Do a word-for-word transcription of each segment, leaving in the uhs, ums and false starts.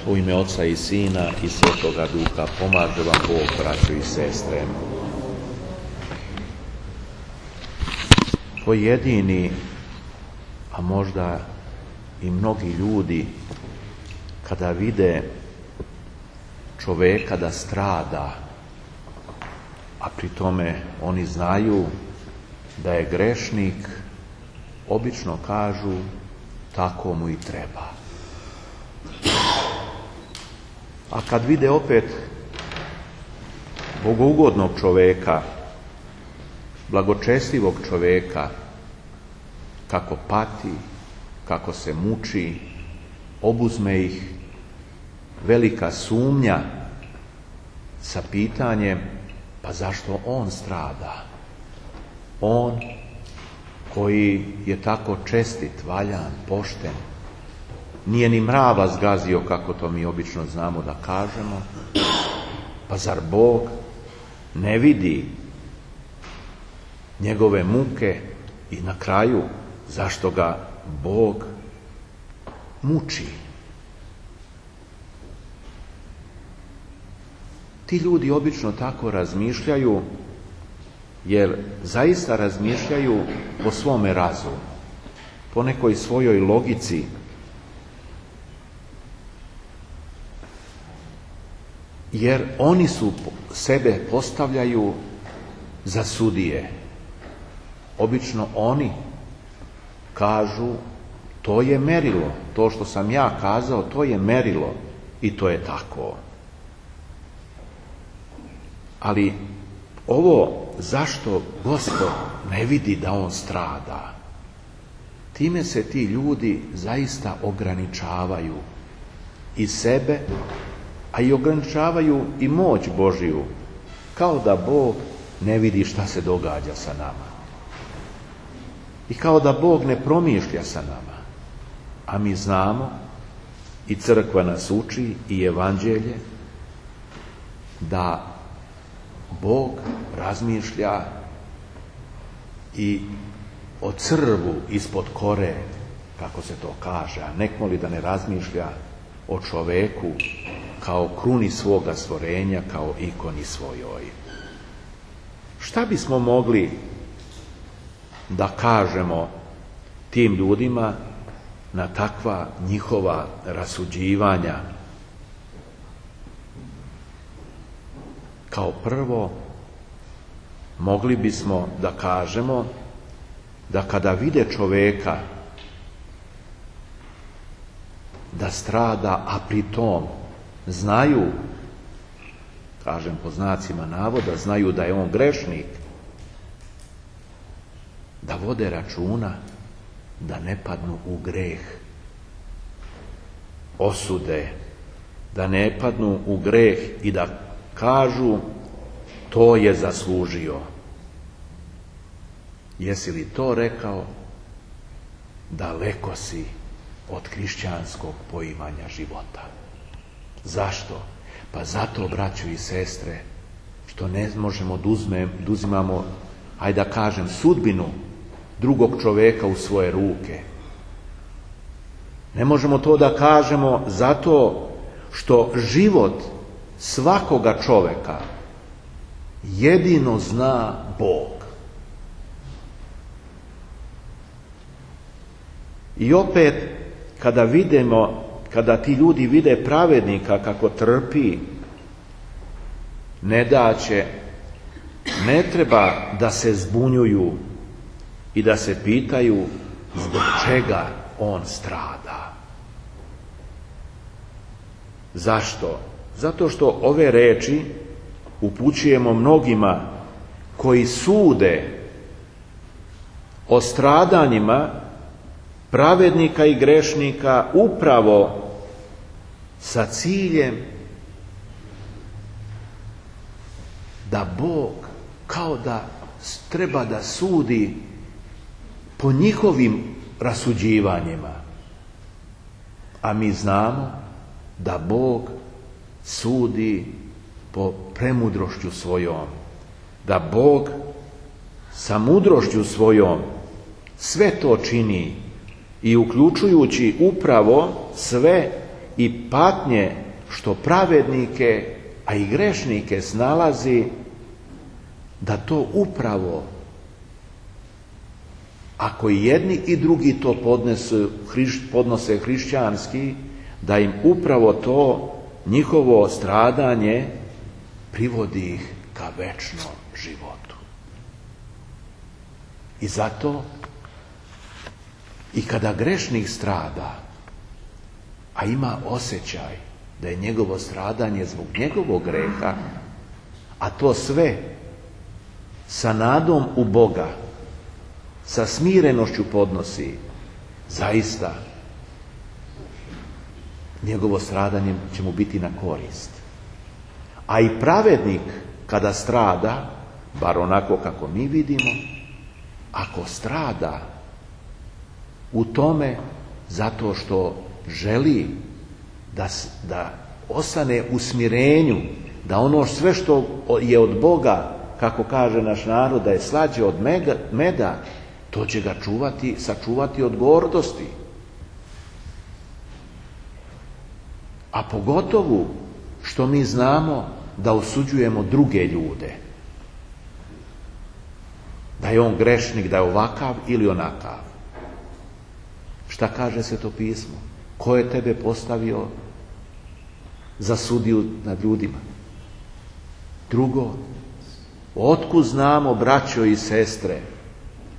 U ime Oca i Sina i Svetoga Duha pomaže vam Bog, braćo i sestre. Pojedini, a možda i mnogi ljudi, kada vide čoveka da strada, a pri tome oni znaju da je grešnik, obično kažu tako mu i treba. A kad vide opet bogougodnog čoveka, blagočestivog čoveka, kako pati, kako se muči, obuzme ih velika sumnja sa pitanjem, pa zašto on strada? On koji je tako čestit, valjan, pošten, nije ni mrava zgazio, kako to mi obično znamo da kažemo, pa zar Bog ne vidi njegove muke i na kraju zašto ga Bog muči? Ti ljudi obično tako razmišljaju, jer zaista razmišljaju po svome razumu, po nekoj svojoj logici. Jer oni su sebe postavljaju za sudije. Obično oni kažu, to je merilo, to što sam ja kazao, to je merilo i to je tako. Ali ovo zašto Gospod ne vidi da on strada, time se ti ljudi zaista ograničavaju i sebe, a i ograničavaju i moć Božiju, kao da Bog ne vidi šta se događa sa nama. I kao da Bog ne promišlja sa nama. A mi znamo, i crkva nas uči, i evanđelje, da Bog razmišlja i o crvu ispod kore, kako se to kaže, a nekmo li da ne razmišlja o čoveku kao kruni svoga stvorenja, kao ikoni svojoj. Šta bismo mogli da kažemo tim ljudima na takva njihova rasuđivanja? Kao prvo, mogli bismo da kažemo da kada vide čoveka da strada, a pri tom znaju, kažem po znacima navoda, znaju da je on grešnik, da vode računa da ne padnu u greh osude, da ne padnu u greh i da kažu to je zaslužio. Jesi li to rekao, daleko si od hrišćanskog poimanja života. Zašto? Pa zato, braćo i sestre, što ne možemo da uzimamo, ajde da kažem, sudbinu drugog čoveka u svoje ruke. Ne možemo to da kažemo zato što život svakoga čoveka jedino zna Bog. I opet, kada vidimo, kada ti ljudi vide pravednika kako trpi, ne daće, ne treba da se zbunjuju i da se pitaju zbog čega on strada. Zašto? Zato što ove reči upućujemo mnogima koji sude o stradanjima pravednika i grešnika upravo sa ciljem da Bog kao da treba da sudi po njihovim rasuđivanjima. A mi znamo da Bog sudi po premudrošću svojom, da Bog sa mudrošću svojom sve to čini i uključujući upravo sve i patnje što pravednike, a i grešnike snalazi, da to upravo, ako i jedni i drugi to podnesu, podnose hrišćanski, da im upravo to njihovo stradanje privodi ih ka večnom životu. I zato i kada grešnik strada, a ima osjećaj da je njegovo stradanje zbog njegovog greha, a to sve sa nadom u Boga, sa smirenošću podnosi, zaista njegovo stradanje će mu biti na korist. A i pravednik kada strada, bar onako kako mi vidimo, ako strada u tome zato što želi da, da ostane u smirenju, da ono sve što je od Boga, kako kaže naš narod, da je slađe od meda, to će ga čuvati, sačuvati od gordosti. A pogotovo što mi znamo da osuđujemo druge ljude. Da je on grešnik, da je ovakav ili onakav. Šta kaže Sveto pismo? Ko je tebe postavio za sudiju nad ljudima? Drugo, otkud znamo, braćo i sestre,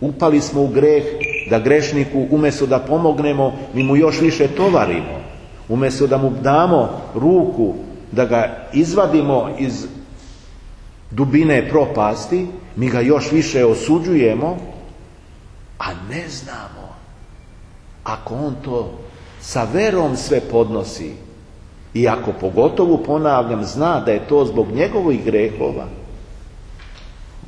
upali smo u greh, da grešniku umjesto da pomognemo, mi mu još više tovarimo. Umjesto da mu damo ruku, da ga izvadimo iz dubine propasti, mi ga još više osuđujemo, a ne znamo, ako on to sa verom sve podnosi i ako pogotovo, ponavljam, zna da je to zbog njegovih grehova,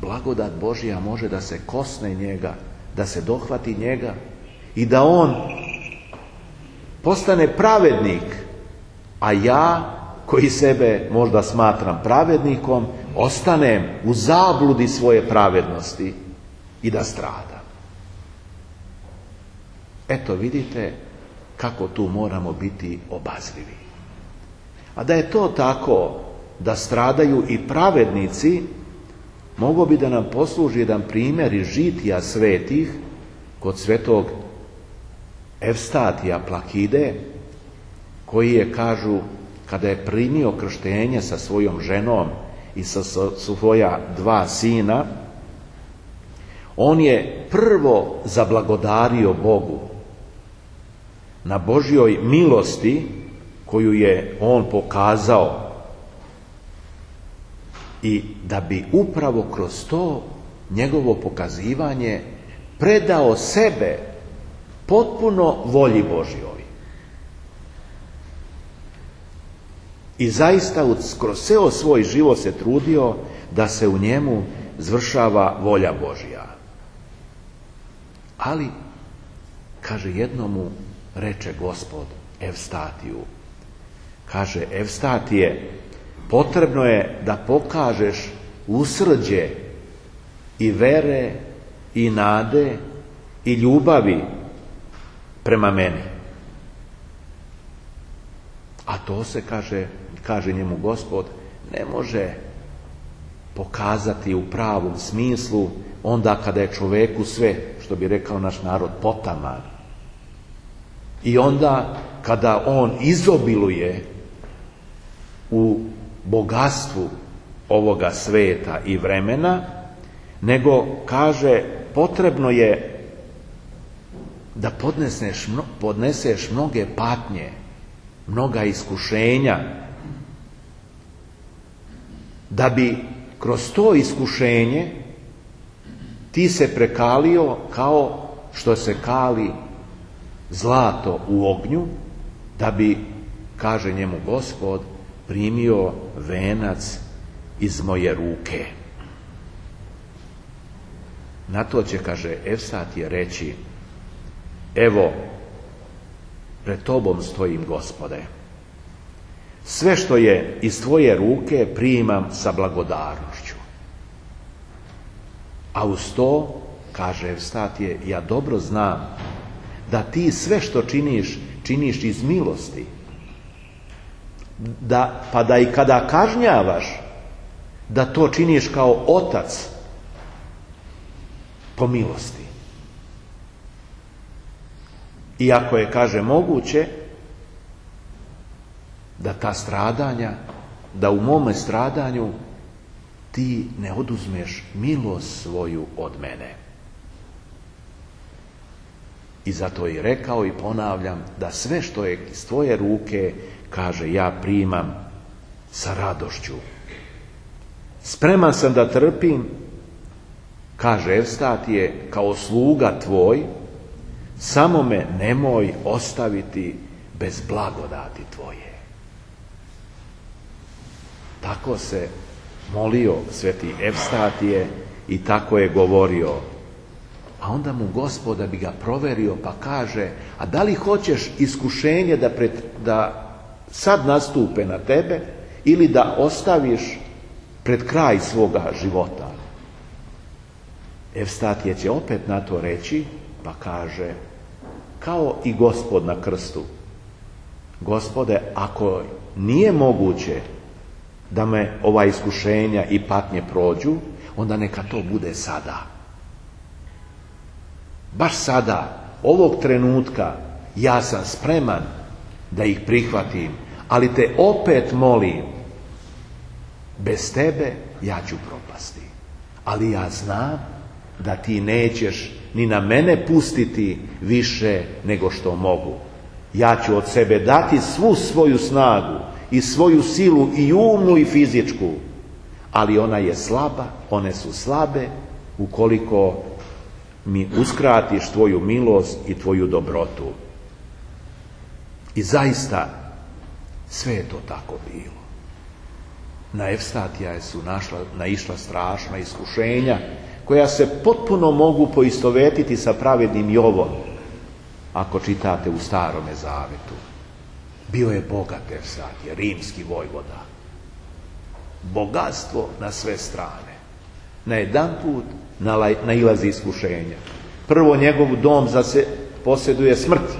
blagodat Božja može da se kosne njega, da se dohvati njega i da on postane pravednik, a ja, koji sebe možda smatram pravednikom, ostanem u zabludi svoje pravednosti i da stradam. Eto, vidite kako tu moramo biti obazrivi. A da je to tako, da stradaju i pravednici, mogo bi da nam posluži jedan primjer iz žitija svetih kod svetog Evstatija Plakide, koji je, kažu, kada je primio krštenje sa svojom ženom i sa svoja dva sina, on je prvo zablagodario Bogu na Božjoj milosti koju je on pokazao i da bi upravo kroz to njegovo pokazivanje predao sebe potpuno volji Božjoj. I zaista kroz ceo svoj život se trudio da se u njemu zvršava volja Božja. Ali, kaže, jednomu reče Gospod Evstatiju, kaže, Evstatije, potrebno je da pokažeš usrđe i vere i nade i ljubavi prema meni. A to se, kaže, kaže njemu Gospod, ne može pokazati u pravom smislu onda kada je čoveku sve, što bi rekao naš narod, potaman. I onda kada on izobiluje u bogatstvu ovoga sveta i vremena, nego, kaže, potrebno je da podneseš, podneseš mnoge patnje, mnoga iskušenja, da bi kroz to iskušenje ti se prekalio kao što se kali zlato u ognju, da bi, kaže njemu Gospod, primio venac iz moje ruke. Na to će, kaže, Evstatije reći, evo, pred tobom stojim, Gospode. Sve što je iz tvoje ruke primam sa blagodarnošću. A uz to, kaže Evstatije, ja dobro znam da ti sve što činiš, činiš iz milosti da, pa da i kada kažnjavaš, da to činiš kao otac po milosti. Iako je, kaže, moguće da ta stradanja, da u mome stradanju ti ne oduzmeš milost svoju od mene. I zato je rekao i ponavljam da sve što je iz tvoje ruke, kaže, ja primam sa radošću. Spreman sam da trpim, kaže Evstatije, kao sluga tvoj, samo me nemoj ostaviti bez blagodati tvoje. Tako se molio sveti Evstatije i tako je govorio. A onda mu Gospod, da bi ga proverio, pa kaže, a da li hoćeš iskušenje da, pred, da sad nastupe na tebe ili da ostaviš pred kraj svoga života? Evstatije će opet na to reći, pa kaže, kao i Gospod na krstu. Gospode, ako nije moguće da me ova iskušenja i patnje prođu, onda neka to bude sada. Baš sada, ovog trenutka, ja sam spreman da ih prihvatim, ali te opet molim, bez tebe ja ću propasti. Ali ja znam da ti nećeš ni na mene pustiti više nego što mogu. Ja ću od sebe dati svu svoju snagu i svoju silu i umnu i fizičku, ali ona je slaba, one su slabe ukoliko mi uskratiš tvoju milost i tvoju dobrotu. I zaista sve je to tako bilo. Na Evstatija su našla, naišla strašna iskušenja koja se potpuno mogu poistovetiti sa pravednim Jovom, ako čitate u Starome Zavetu. Bio je bogat Evstatije, rimski vojvoda. Bogatstvo na sve strane. Na jedan put nailazi iskušenja. Prvo njegov dom zase posjeduje smrt.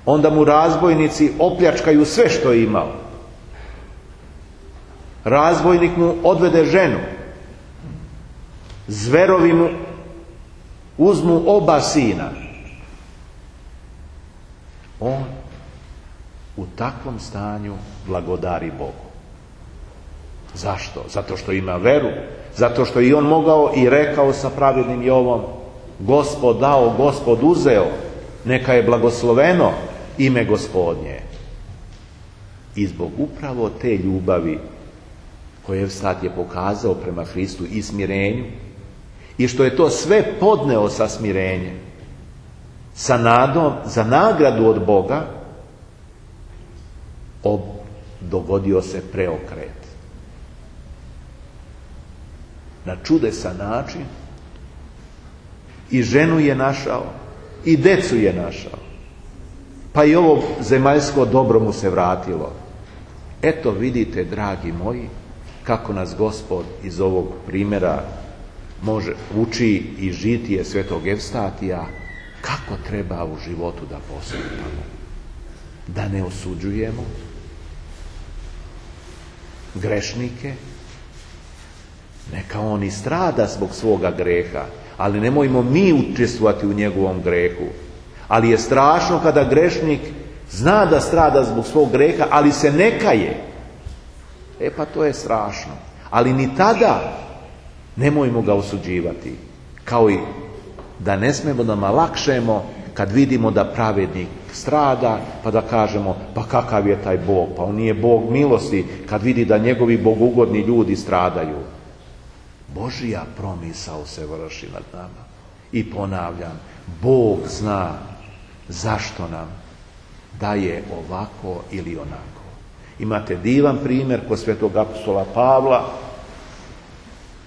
Onda mu razbojnici opljačkaju sve što je imao. Razbojnik mu odvede ženu. Zverovi mu uzmu oba sina. On u takvom stanju blagodari Bogu. Zašto? Zato što ima veru. Zato što i on mogao i rekao sa pravednim Jovom, Gospod dao, Gospod uzeo, neka je blagosloveno ime Gospodnje. I zbog upravo te ljubavi koje Evstat je pokazao prema Hristu i smirenju, i što je to sve podneo sa smirenjem, sa nadom za nagradu od Boga, ob, dogodio se preokret. Na čudesan način i ženu je našao i decu je našao, pa i ovo zemaljsko dobro mu se vratilo. Eto vidite, dragi moji, kako nas Gospod iz ovog primjera može uči i žitije svetog Evstatija, kako treba u životu da postupamo, da ne osuđujemo grešnike. Neka on i strada zbog svoga greha, ali nemojmo mi učestvovati u njegovom grehu. Ali je strašno kada grešnik zna da strada zbog svog greha, ali se ne kaje. E pa to je strašno. Ali ni tada nemojmo ga osuđivati. Kao i da ne smemo da malakšemo kad vidimo da pravednik strada, pa da kažemo, pa kakav je taj Bog, pa on nije Bog milosti, kad vidi da njegovi bogugodni ljudi stradaju. Božija promisao se vrši nad nama. I ponavljam, Bog zna zašto nam daje ovako ili onako. Imate divan primjer kod svetog apostola Pavla,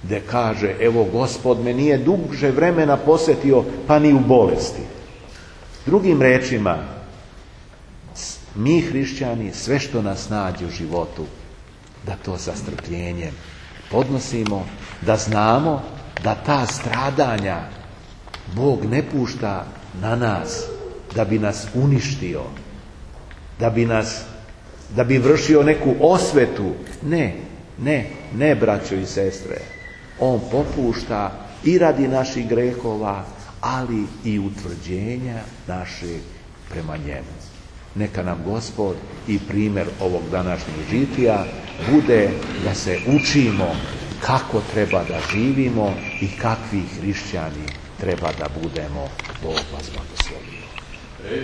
gdje kaže, evo Gospod me nije duže vremena posjetio, pa ni u bolesti. Drugim rečima, mi hrišćani sve što nas nađe u životu, da to sa strpljenjem podnosimo, da znamo da ta stradanja Bog ne pušta na nas da bi nas uništio, da bi nas, da bi vršio neku osvetu. Ne, ne, ne, braćo i sestre. On popušta i radi naših grehova, ali i utvrđenja naše prema njemu. Neka nam Gospod i primjer ovog današnjeg žitija bude da se učimo kako treba da živimo i kakvi hrišćani treba da budemo. Bog vas blagoslovi.